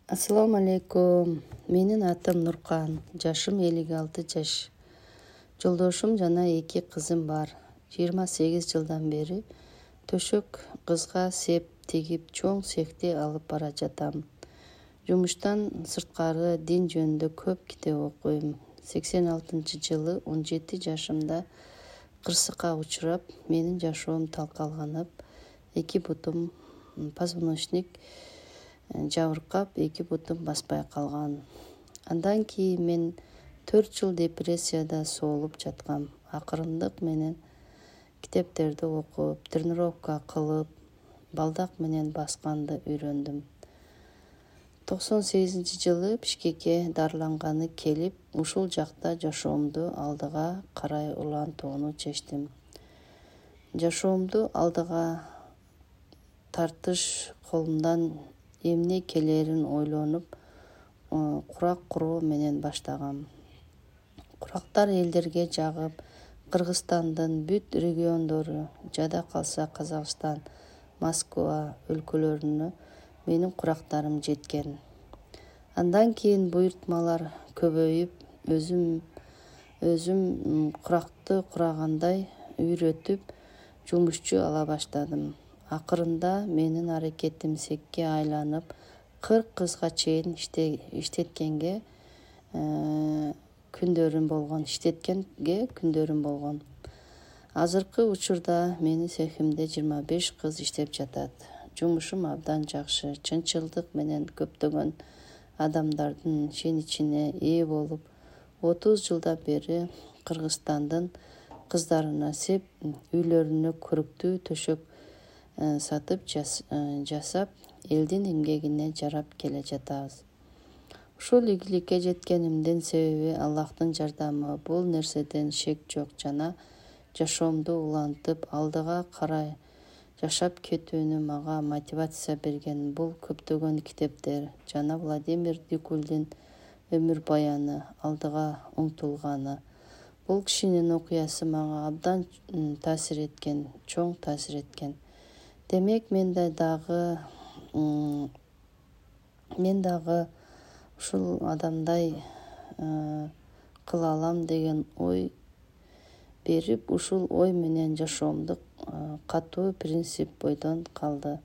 Ассаламу алейкум. Менин атым Нуркан. Жашым 56 жаш. Жолдошум жана 2 кызым бар. 28 жылдан бери төшөк кызга сеп тегип чоң цехти алып бара жатам. Жумуштан сырткары дин жөнүндө көп китеп окуйм. 86-жылы 17 жашымда кырсыкка учурап, менин жашоом талкаланып, 2 бутум позвоночник жабыркап, 2 бутум баспай калган. Андан кийин мен 4 жыл депрессияда соолуп жаткам. Акырындык менен китептерди окуп, тренировка кылып, балдак менен басканды үйрөндүм. 98-жылы Бишкекке дарыланганы келип, ушул жакта жашоомду алдыга карай улантууну чечтим. Жашоомду алдыга тартыш колумдан эмне келерин ойлонуп, курак куруу менен баштагам. Курактар элдерге жагып, Кыргызстандын бүт региондору, жада калса Казакстан, Москва өлкөлөрүнө менин курактарым жеткен. Андан кийин буйртмалар көбөйүп, өзүм куракты курагандай үйрөтүп, жумушчу ала баштадым. Акырында менин аракетим секке айланып, 40 кызга чейин иштеткенге күндөрүм болгон. Азыркы учурда менин цехимде 25 кыз иштеп жатат. Жумушум абдан жакшы, чынчылдык менен көптөгөн адамдардын ишеничине ээ болуп, 30 жылдан бери Кыргызстандын кыздарына сеп үйлөрүнө көрүктүү төшөк сатып жасап, элдин эмгегине жарап келе жатабыз. Ушул ийгиликке жеткенимдин себеби Аллахтын жардамы. Бул нерседен шек жок жана жашоомду улантып, алдыга карай жашап кетүүнү мага мотивация берген бул көптөгөн китептер жана Владимир Дикулдин өмүр баяны, алдыга умтулганы. Бул кишинин окуясы мага абдан чоң таасир эткен. Демек, мен дагы ушул адамдай кыла алам деген ой берип, ушул ой менен жашоомду катуу принцип бойдон калды.